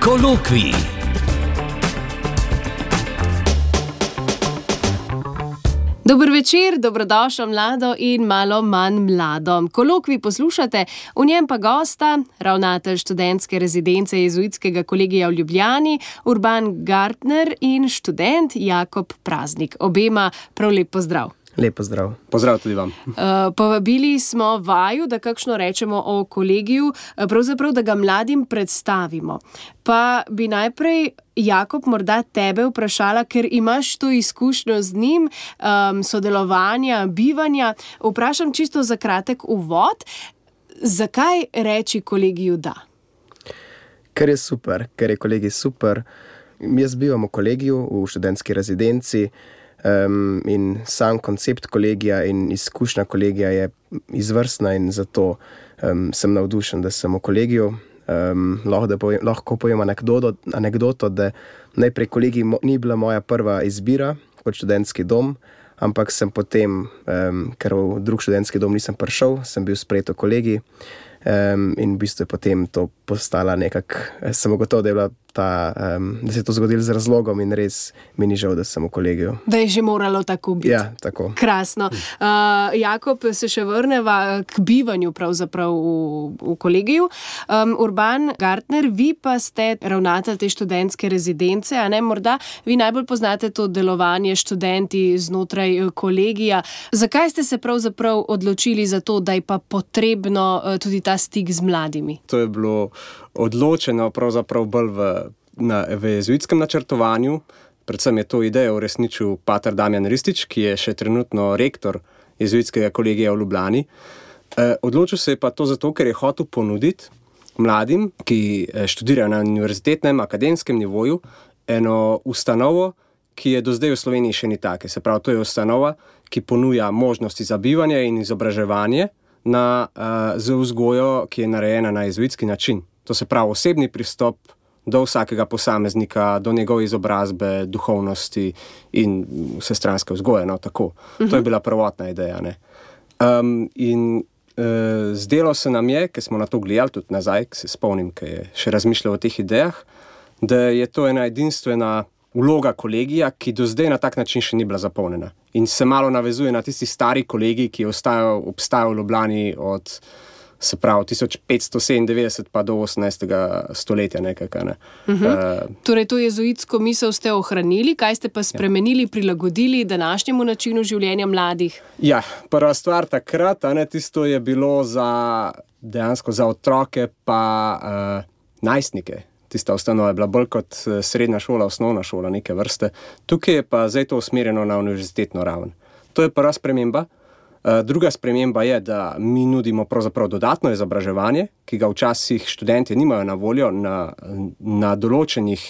Kolokvij. Dober večer, dobrodošla mlado in malo manj mlado. Kolokvij poslušate, v njem pa gosta, ravnatelj študentske rezidence Jezuitskega kolegija v Ljubljani, Urban Gartner in študent Jakob Praznik. Obema prav lep pozdrav. Lep pozdrav. Pozdrav tudi vam. Povabili smo vaju, da kakšno rečemo o kolegiju, pravzaprav, da ga mladim predstavimo. Pa bi najprej, Jakob, morda tebe vprašala, ker imaš to izkušnjo z njim, sodelovanja, bivanja. Vprašam čisto za kratek uvod. Zakaj reči kolegiju da? Ker je super, ker je kolegij super. Jaz bivam v kolegiju, v študentski rezidenci, in sam koncept kolegija in izkušnja kolegija je izvrstna in zato sem navdušen, da sem v kolegiju. Lahko povem anekdoto, da najprej kolegij ni bila moja prva izbira kot študentski dom, ampak sem potem, ker v drug študentski dom nisem prišel, sem bil sprejet v kolegij in v bistvu je potem to postala sem ugotovil, da je bila da se je to zgodilo z razlogom in res mi ni žal, da sem v kolegiju. Da je že moralo tako biti. Ja, tako. Krasno. Jakob, se še vrneva k bivanju pravzaprav v kolegiju. Urban Gartner, vi pa ste ravnatelj te študentske rezidence, a ne? Morda vi najbolj poznate to delovanje študenti znotraj kolegija. Zakaj ste se pravzaprav odločili za to, da je pa potrebno tudi ta stik z mladimi? To je bilo odločeno pravzaprav bolj v jezuitskem načrtovanju. Predvsem je to idejo uresničil pater Damjan Ristič, ki je še trenutno rektor Jezuitskega kolegija v Ljubljani. Odločil se je pa to zato, ker je hotel ponuditi mladim, ki študirajo na univerzitetnem, akademskem nivoju, eno ustanovo, ki je do zdaj v Sloveniji še ni take. Se pravi, to je ustanova, ki ponuja možnosti za bivanje in izobraževanje z vzgojo, ki je narejena na jezuitski način. To se pravi osebni pristop do vsakega posameznika, do njegove izobrazbe, duhovnosti in vsestranske vzgoje. No, tako. To je bila prvotna ideja. Ne? Zdelo se nam je, ker smo na to gledali tudi nazaj, ker se spomnim, ker je še razmišljal o teh idejah, da je to ena edinstvena vloga kolegija, ki do zdaj na tak način še ni bila zapolnjena. In se malo navezuje na tisti stari kolegij, ki je obstajal v Ljubljani od 1597 pa do 18. stoletja nekaj. Ne. Torej to jezuitsko misel ste ohranili, kaj ste pa spremenili, prilagodili današnjemu načinu življenja mladih? Ja, prva stvar takrat, tisto je bilo dejansko za otroke pa najstnike. Tista ustanova je bila bolj kot srednja šola, osnovna šola, neke vrste. Tukaj je pa zdaj to usmerjeno na univerzitetno raven. To je prva sprememba. Druga sprememba je, da mi nudimo pravzaprav dodatno izobraževanje, ki ga včasih študentje nimajo na voljo na določenih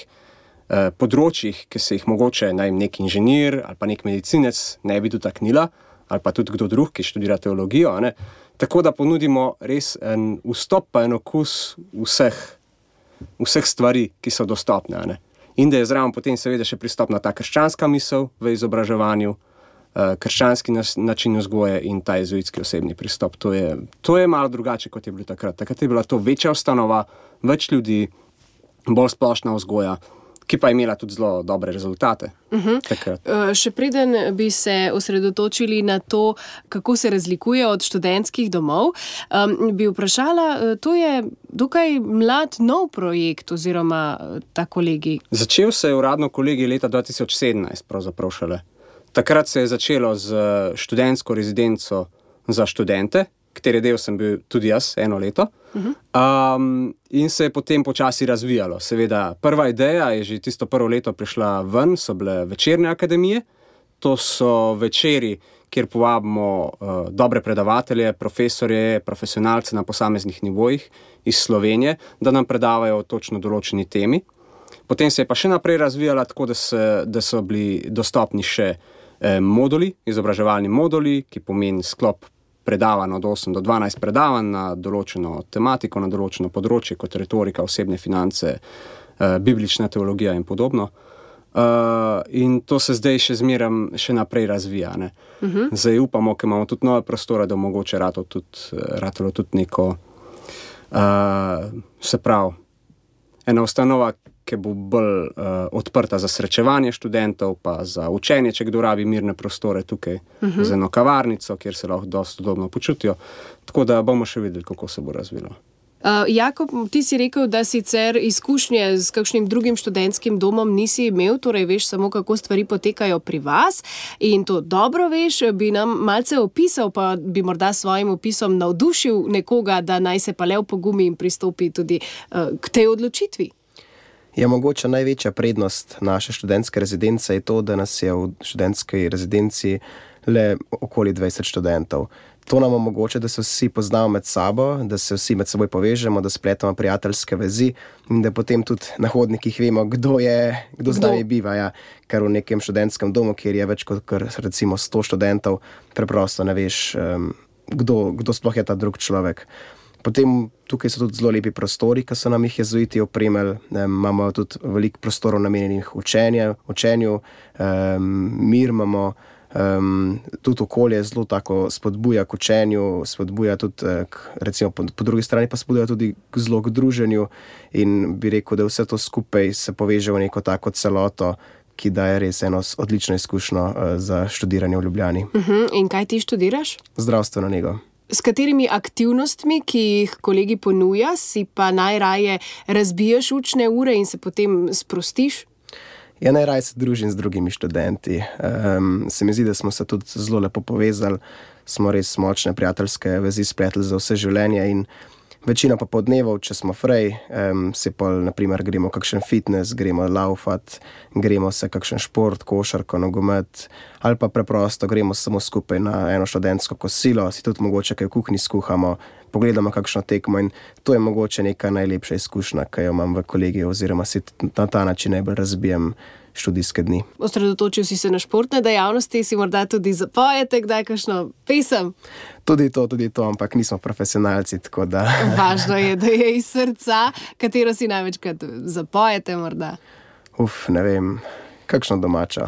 področjih, ki se jih mogoče nek inženir ali pa nek medicinec ne bi dotaknila, ali pa tudi kdo drug, ki študira teologijo. Ne? Tako da ponudimo res en vstop pa en okus vseh stvari, ki so dostopne. Ne? In da je zraven potem seveda še pristopna ta krščanska misel v izobraževanju, krščanski način vzgoje in ta jezuitski osebni pristop. To je malo drugače, kot je bilo takrat. Takrat je bila to večja ustanova, več ljudi, bolj splošna vzgoja, ki pa je imela tudi zelo dobre rezultate. Še preden bi se osredotočili na to, kako se razlikuje od študentskih domov, bi vprašala, to je dokaj mlad nov projekt oziroma ta kolegij. Začel se je uradno kolegij leta 2017, pravzaprav šele. Takrat se je začelo z študentsko rezidenco za študente, katere del sem bil tudi jaz 1 leto. In se je potem počasi razvijalo. Seveda, prva ideja je že tisto prvo leto prišla ven, so bile večerne akademije. To so večeri, kjer povabimo dobre predavatelje, profesorje, profesionalce na posameznih nivojih iz Slovenije, da nam predavajo o točno določeni temi. Potem se je pa še naprej razvijala tako, da so bili dostopni še moduli, izobraževalni moduli, ki pomeni sklop predavanj od 8 do 12 predavanj na določeno tematiko, na določeno področje, kot retorika, osebne finance, biblična teologija in podobno. In to se zdaj še naprej razvija. Ne. Zdaj upamo, ker imamo tudi nove prostore, da mogoče ratalo tudi neko, se pravi, ena ustanova, ki bo bolj odprta za srečevanje študentov, pa za učenje, če kdo rabi mirne prostore tukaj, z eno kavarnico, kjer se lahko dosti udobno počutijo. Tako da bomo še videli, kako se bo razvilo. Jakob, ti si rekel, da sicer izkušnje s kakšnim drugim študentskim domom nisi imel, torej veš samo, kako stvari potekajo pri vas in to dobro veš, bi nam malce opisal, pa bi morda s svojim opisom navdušil nekoga, da naj se pa le opogumi in pristopi tudi k tej odločitvi. Ja, mogoče največja prednost naše študentske rezidence je to, da nas je v študentski rezidenci le okoli 20 študentov. To nam omogoča, da se vsi poznamo med sabo, da se vsi med seboj povežemo, da spletamo prijateljske vezi in da potem tudi na hodnikih vemo, kdo z nami biva. Ja. Ker v nekem študentskem domu, kjer je več kot recimo 100 študentov, preprosto ne veš, kdo sploh je ta drug človek. Potem tukaj so tudi zelo lepi prostori, ki so nam jih jezuiti opremili. Imamo tudi veliko prostorov namenjenih učenju, mir imamo. Tudi okolje zelo tako spodbuja k učenju, spodbuja tudi, recimo po drugi strani pa spodbuja tudi zelo k druženju in bi rekel, da vse to skupaj se poveže v neko tako celoto, ki daje res eno odlično izkušnjo za študiranje v Ljubljani. In kaj ti študiraš? Zdravstveno nego. S katerimi aktivnostmi, ki jih kolegi ponuja, si pa najraje razbijaš učne ure in se potem sprostiš? Ja, najraje se družim z drugimi študenti. Se mi zdi, da smo se tudi zelo lepo povezali, smo res močne prijateljske vezi spletli za vse življenje in večino pa podnevov, če smo frej, se pol, naprimer, gremo kakšen fitness, gremo laufat, gremo se kakšen šport, košarko, nogomet, ali pa preprosto gremo samo skupaj na eno študentsko kosilo, si tudi mogoče kaj v kuhinji skuhamo, pogledamo kakšno tekmo in to je mogoče neka najlepša izkušnja, ki jo imam v kolegiju oziroma si na ta način najbolj razbijem študijske dni. Osredotočil si se na športne dejavnosti, si morda tudi zapojete kdaj kakšno pesem? Tudi to, ampak nismo profesionalci, tako da... Važno je, da je iz srca. Katero si največkrat zapojete morda? Ne vem, kakšno domačo.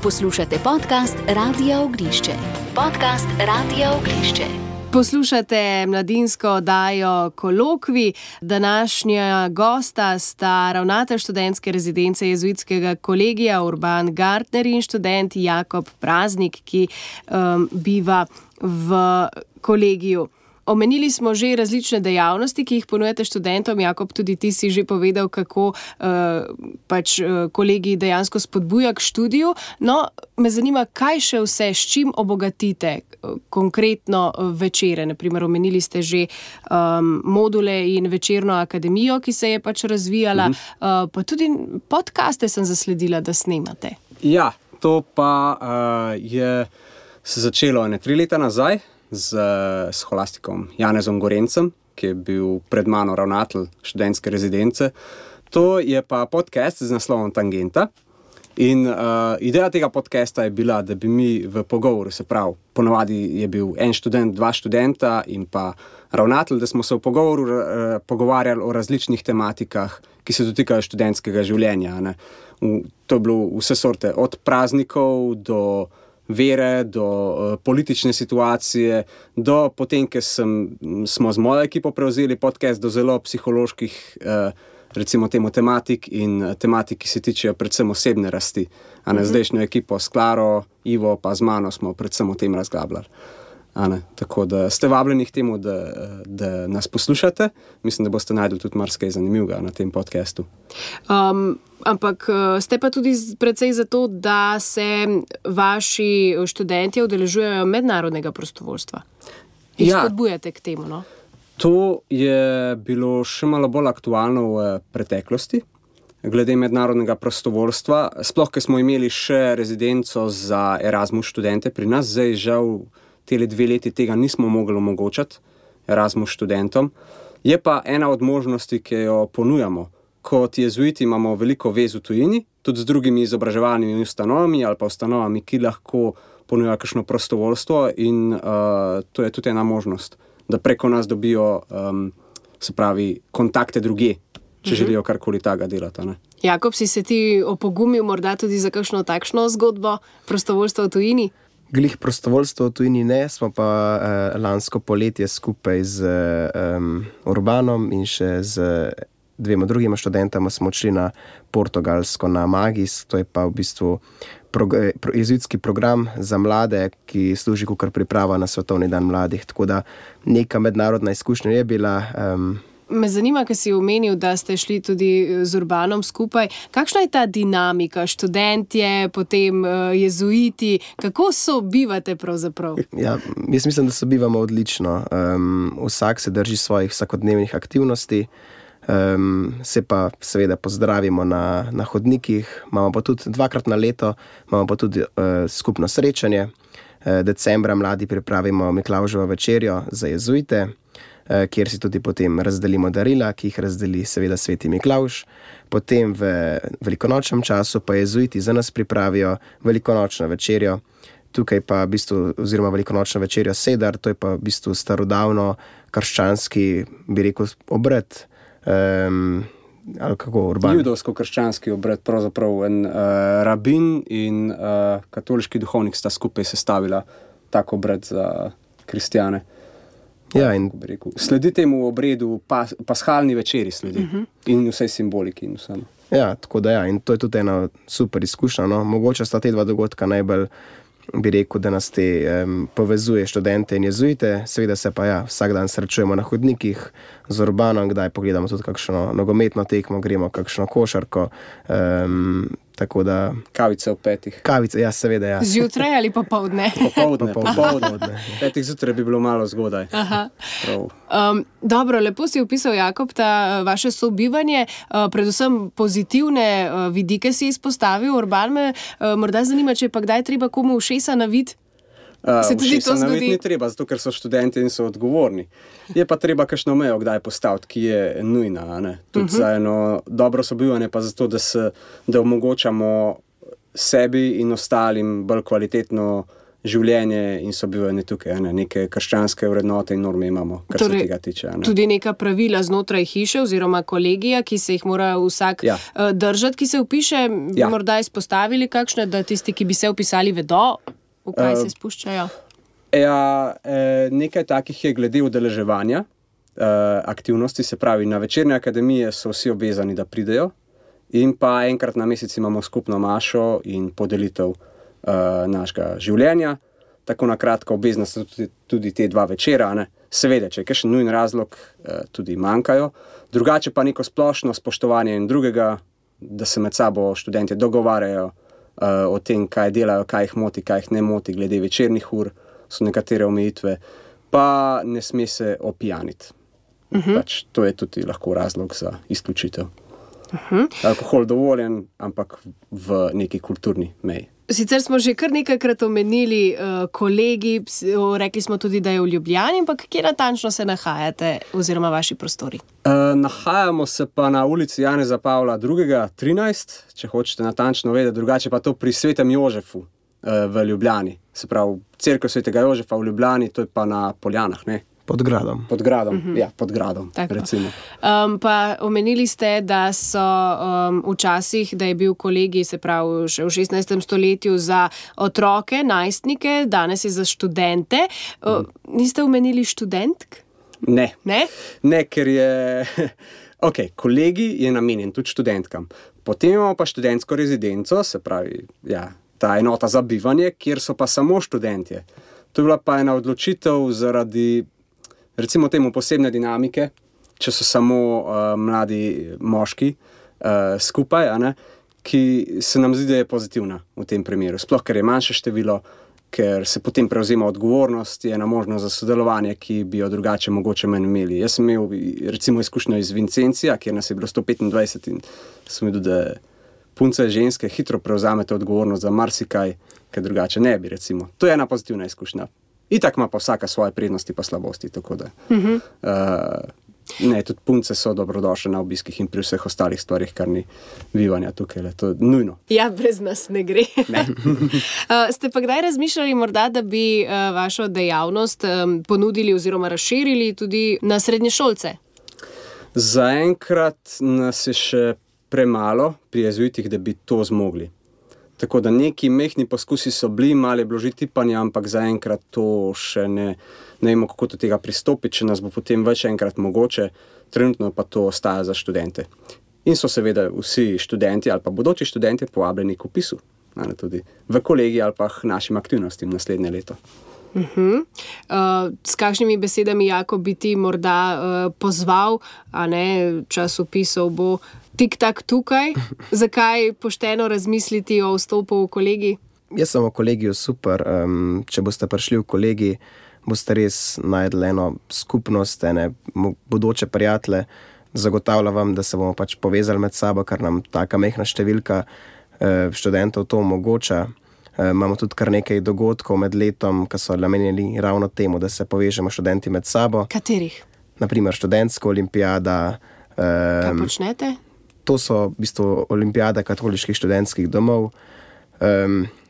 Poslušate podcast Radia Oglišče. Podcast Radia Oglišče. Poslušate mladinsko oddajo Kolokvij. Današnja gosta sta ravnatelj študentske rezidence jezuitskega kolegija Urban Gartner in študent Jakob Praznik, ki biva v kolegiju. Omenili smo že različne dejavnosti, ki jih ponujate študentom. Jakob, tudi ti si že povedal, kako kolegi dejansko spodbuja k študiju. No, me zanima, kaj še vse, s čim obogatite konkretno večere. Naprimer, omenili ste že module in večerno akademijo, ki se je razvijala. Pa tudi podcaste sem zasledila, da snemate. Ja, to pa je se začelo 3 leta nazaj z scholastikom Janezom Gorencem, ki je bil pred mano ravnatelj študentske rezidence. To je pa podcast z naslovom Tangenta. In ideja tega podcasta je bila, da bi mi v pogovoru, se pravi, ponovadi je bil en študent, 2 študenta in pa ravnatelj, da smo se v pogovoru pogovarjali o različnih tematikah, ki se dotikajo študentskega življenja. Ne. To je bilo vse sorte, od praznikov do vere, do politične situacije, do potem, ker smo z mojo ekipo prevzeli podcast, do zelo psiholoških recimo temu tematik in tematik, ki se tičejo predvsem osebne rasti. Zdajšnjo ekipo s Klaro, Ivo pa z mano smo predvsem o tem razglabljali. Tako da ste vabljeni k temu, da nas poslušate. Mislim, da boste najdli tudi marsikaj zanimivega na tem podcastu. Ampak ste pa tudi precej za to, da se vaši študentje udeležujejo mednarodnega prostovoljstva. In spodbujate k temu, no? To je bilo še malo bolj aktualno v preteklosti, glede mednarodnega prostovoljstva. Sploh, ker smo imeli še rezidenco za Erasmus študente pri nas, zdaj žal tele 2 leti tega nismo mogli omogočati Erasmus študentom. Je pa ena od možnosti, ki jo ponujamo. Kot jezuiti imamo veliko vez v tujini, tudi z drugimi izobraževalnimi ustanovami ali pa ustanovami, ki lahko ponujajo kakšno prostovoljstvo in to je tudi ena možnost, da preko nas dobijo, se pravi, kontakte drugje, če želijo karkoli takega delati. Ne? Jakob, si se ti opogumil morda tudi za kakšno takšno zgodbo prostovoljstva v tujini? Glih prostovoljstvo v tujini ne, smo pa lansko poletje skupaj z Urbanom in še z 2 drugima študentama smo odšli na Portugalsko, na Magis, to je pa v bistvu jezuitski program za mlade, ki služi kot priprava na Svetovni dan mladih, tako da neka mednarodna izkušnja je bila. Me zanima, ker si omenil, da ste šli tudi z Urbanom skupaj. Kakšna je ta dinamika? Študentje, potem jezuiti, kako sobivate pravzaprav? Ja, jaz mislim, da sobivamo odlično. Vsak se drži svojih vsakodnevnih aktivnosti, se pa seveda pozdravimo na hodnikih, imamo pa tudi 2-krat na leto, imamo pa tudi skupno srečanje. Decembra mladi pripravimo Miklavževo večerjo za jezuite, kjer si tudi potem razdelimo darila, ki jih razdeli seveda sveti Miklavž. Potem v velikonočnem času pa jezuiti za nas pripravijo velikonočno večerjo. Tukaj pa v bistvu, oziroma velikonočno večerjo sedar, to je pa v bistvu starodavno krščanski, bi rekel, obred, ali kako, Urban? Judovsko-krščanski obred, pravzaprav en rabin in katoliški duhovnik sta skupaj sestavila tak obred za kristjane. Ja, in sledi temu obredu, pashalni večeri sledi in vsej simboliki in vsem. Ja, tako da in to je tudi ena super izkušnja, no. Mogoče sta te 2 dogodka najbolj, bi rekel, da nas te povezuje študente in jezuite, seveda se pa vsak dan srečujemo na hodnikih z Urbanom, kdaj pogledamo tudi kakšno nogometno tekmo, gremo kakšno košarko, tako da... Kavice ob 5. Kavice, ja, seveda, ja. Zjutraj ali popoldne? Popoldne. 5 zjutraj bi bilo malo zgodaj. Dobro, lepo si opisal, Jakob, ta vaše sobivanje, predvsem pozitivne vidike si izpostavil. Urban, me morda zanima, če pa kdaj treba komu ušesa naviti? Se tudi to zgodi? Naviti ni treba, zato ker so študenti in so odgovorni. Je pa treba kakšno mejo kdaj postaviti, ki je nujna, ne? Tudi za eno dobro sobivanje, pa zato, da omogočamo sebi in ostalim bolj kvalitetno življenje in sobivanje tukaj, ne? Neke krščanske vrednote in norme imamo, kar se tega tiče. Ne? Tudi neka pravila znotraj hiše oziroma kolegija, ki se jih mora vsak držati, ki se vpiše, morda izpostavili kakšne, da tisti, ki bi se vpisali, vedo, v kaj se spuščajo? Nekaj takih je glede udeleževanja aktivnosti, se pravi, na večerne akademije so vsi obvezani, da pridejo in pa enkrat na mesec imamo skupno mašo in podelitev našega življenja. Tako na kratko, obvezna so tudi te 2 večera, ne? Seveda, če je kakšen nujen razlog, tudi manjkajo. Drugače pa neko splošno spoštovanje in drugega, da se med sabo študenti dogovarjajo o tem, kaj delajo, kaj jih moti, kaj jih ne moti, glede večernih ur, so nekatere omejitve, pa ne sme se opijaniti. Pač to je tudi lahko razlog za izključitev. Alkohol dovoljen, ampak v neki kulturni meji. Sicer smo že kar nekajkrat omenili kolegi, rekli smo tudi, da je v Ljubljani, ampak kje natančno se nahajate oziroma vaši prostori? Nahajamo se pa na ulici Janeza Pavla II. 13, če hočete natančno vedeti, drugače pa to pri Svetem Jožefu v Ljubljani. Se pravi, cerkev Svetega Jožefa v Ljubljani, to je pa na Poljanah, ne? Pod gradom. Pod gradom, pod gradom, recimo. Pa omenili ste, da so včasih, da je bil kolegij, se pravi, še v 16. stoletju za otroke, najstnike, danes je za študente. Niste omenili študentk? Ne. Ne? Ne, ker je... kolegij je namenjen tudi študentkam. Potem imamo pa študentsko rezidenco, se pravi, ta enota za bivanje, kjer so pa samo študentje. To je bila pa ena odločitev zaradi, recimo temu, posebne dinamike, če so samo mladi moški skupaj, ki se nam zdi, da je pozitivna v tem primeru. Sploh, ker je manjše število, ker se potem prevzema odgovornost, je ena možnost za sodelovanje, ki bi jo drugače mogoče manj imeli. Jaz sem imel recimo izkušnjo iz Vincencija, kjer nas je bilo 125 in sem videl, da punce ženske hitro prevzamete odgovornost za marsikaj, ker drugače ne bi, recimo. To je ena pozitivna izkušnja. Itak ima pa vsaka svoje prednosti pa slabosti, tako da. Ne, tudi punce so dobrodošle na obiskih in pri vseh ostalih stvarih, kar ni bivanja tukaj, to je nujno. Ja, brez nas ne gre. Ne. Ste pa kdaj razmišljali morda, da bi vašo dejavnost ponudili oziroma razširili tudi na srednješolce? Zaenkrat nas je še premalo pri jezuitih, da bi to zmogli. Tako da neki mehni poskusi so bili, malo je bilo že tipanja, ampak zaenkrat to še ne vemo, kako do tega pristopiti, če nas bo potem več enkrat mogoče, trenutno pa to ostaja za študente. In so seveda vsi študenti ali pa bodoči študenti povabljeni k vpisu, tudi v kolegij ali pa našim aktivnostim naslednje leto. S kakšnimi besedami, Jakob, bi ti morda pozval, čas vpisov bo tik-tak tukaj, zakaj pošteno razmisliti o vstopu v kolegij? Jaz sem v kolegiju super, če boste prišli v kolegij, boste res najdli eno skupnost, ene bodoče prijatelje, zagotavljam vam, da se bomo pač povezali med sabo, ker nam taka mehna številka študentov to omogoča. Imamo tudi kar nekaj dogodkov med letom, ki so namenjeni ravno temu, da se povežemo študenti med sabo. Katerih? Naprimer študentska olimpijada. Kaj počnete? To so v bistvu olimpijada katoliških študentskih domov.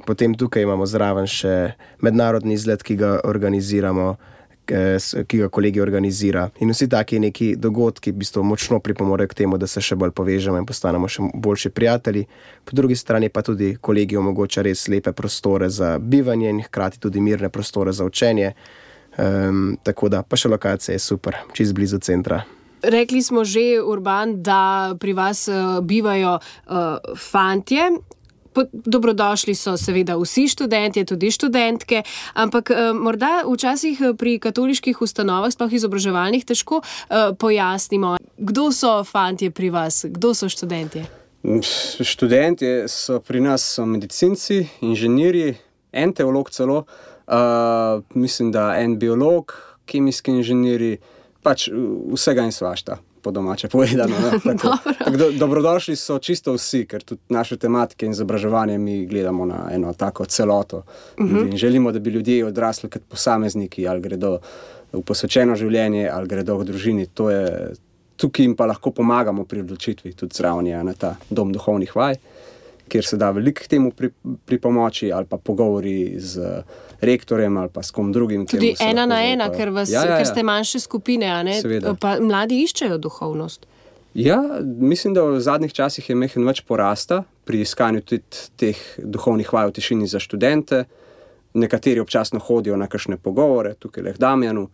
Potem tukaj imamo zraven še mednarodni izlet, ki ga organiziramo, ki ga kolegij organizira. In vsi taki neki dogodki v bistvu močno pripomorejo k temu, da se še bolj povežemo in postanemo še boljši prijatelji. Po drugi strani pa tudi kolegij omogoča res lepe prostore za bivanje in hkrati tudi mirne prostore za učenje. Tako da pa še lokacija je super, čisto blizu centra. Rekli smo že, Urban, da pri vas bivajo fantje. Dobrodošli so seveda vsi študentje, tudi študentke, ampak morda včasih pri katoliških ustanovah, sploh izobraževalnih, težko pojasnimo, kdo so fantje pri vas, kdo so študentje? Študentje so pri nas medicinci, inženirji, en teolog celo, mislim, da en biolog, kemijski inženirji, pač vsega in svašta. Po domače povedano. Dobrodošli so čisto vsi, ker tudi naše tematike in izobraževanje mi gledamo na eno tako celoto. In želimo, da bi ljudje odrasli kot posamezniki, ali gredo v posvečeno življenje, ali gredo v družini. To je, tukaj jim pa lahko pomagamo pri odločitvi, tudi zraven je na ta dom duhovnih vaj, kjer se da veliko k temu pripomoči, ali pa pogovori z rektorjem ali pa s kom drugim. Tudi ena na ena, ker ste manjše skupine, pa mladi iščejo duhovnost. Ja, mislim, da v zadnjih časih je mehen več porasta pri iskanju tudi teh duhovnih vaj v tišini za študente. Nekateri občasno hodijo na kakšne pogovore, tukaj le v Damjanu.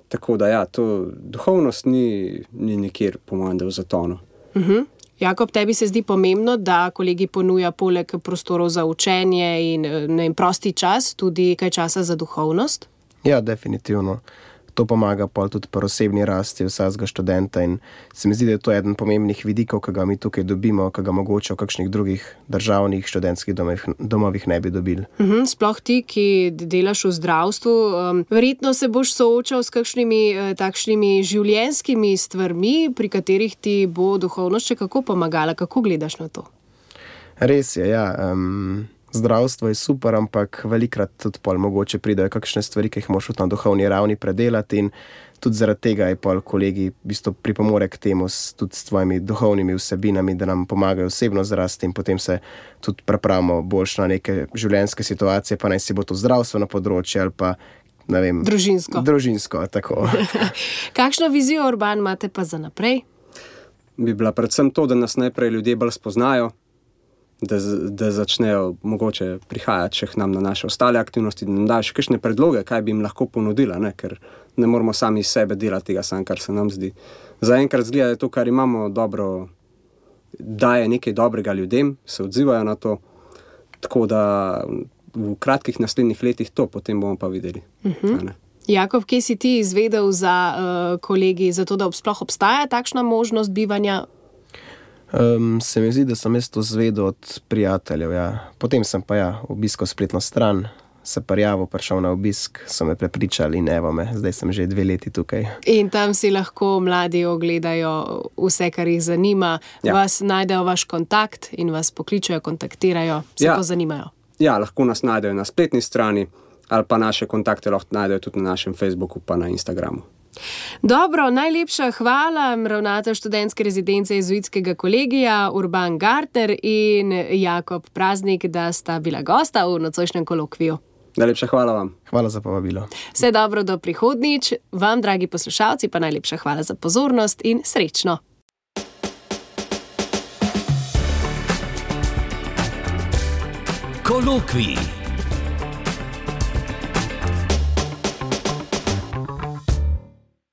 Tako da to duhovnost ni nikjer, po mojem, da v zatonu. Jakob, tebi se zdi pomembno, da kolegij ponuja poleg prostorov za učenje in prosti čas, tudi kaj časa za duhovnost? Ja, definitivno. To pomaga pol tudi pri osebni rasti vsakega študenta in se mi zdi, da je to eden pomembnih vidikov, ki ga mi tukaj dobimo, ki ga mogoče v kakšnih drugih državnih študentskih domovih ne bi dobili. Sploh ti, ki delaš v zdravstvu, verjetno se boš soočal s kakšnimi takšnimi življenjskimi stvarmi, pri katerih ti bo duhovnost še kako pomagala. Kako gledaš na to? Res je, ja. Zdravstvo je super, ampak velikrat tudi pol mogoče pridejo kakšne stvari, ki jih moraš na duhovni ravni predelati in tudi zaradi tega je pol kolegij v bistvu pripomore k temu tudi s tvojimi duhovnimi vsebinami, da nam pomagajo osebno zrasti in potem se tudi pripravimo boljš na neke življenjske situacije, pa naj si bo to zdravstveno področje ali pa, ne vem... Družinsko, tako. Kakšno vizijo, Urban, imate pa za naprej? Bi bila predvsem to, da nas najprej ljudje bolj spoznajo, da začnejo mogoče prihajati še k nam na naše ostale aktivnosti, da nam dajo še kakšne predloge, kaj bi jim lahko ponudila, ker ne moramo sami iz sebe delati tega sam, kar se nam zdi. Zaenkrat zgleda, da to, kar imamo dobro, daje nekaj dobrega ljudem, se odzivajo na to, tako da v kratkih naslednjih letih to potem bomo pa videli. Jakob, kje si ti izvedel za kolegij, za to, da sploh obstaja takšna možnost bivanja? Se mi zdi, da sem jaz to zvedel od prijateljev, ja. Potem sem pa obiskal spletno stran, se prijavil, prišel na obisk, so me prepričali in evo me, zdaj sem že 2 leti tukaj. In tam si lahko mladi ogledajo vse, kar jih zanima, vas najdejo vaš kontakt in vas pokličajo, kontaktirajo, se pozanimajo. Ja, lahko nas najdejo na spletni strani ali pa naše kontakte lahko najdejo tudi na našem Facebooku pa na Instagramu. Dobro, najlepša hvala, ravnatelj študentske rezidence jezuitskega kolegija Urban Gartner in Jakob Praznik, da sta bila gosta v nocojšnjem kolokviju. Najlepša hvala vam. Hvala za povabilo. Vse dobro do prihodnjič, vam, dragi poslušalci, pa najlepša hvala za pozornost in srečno. Kolokvij.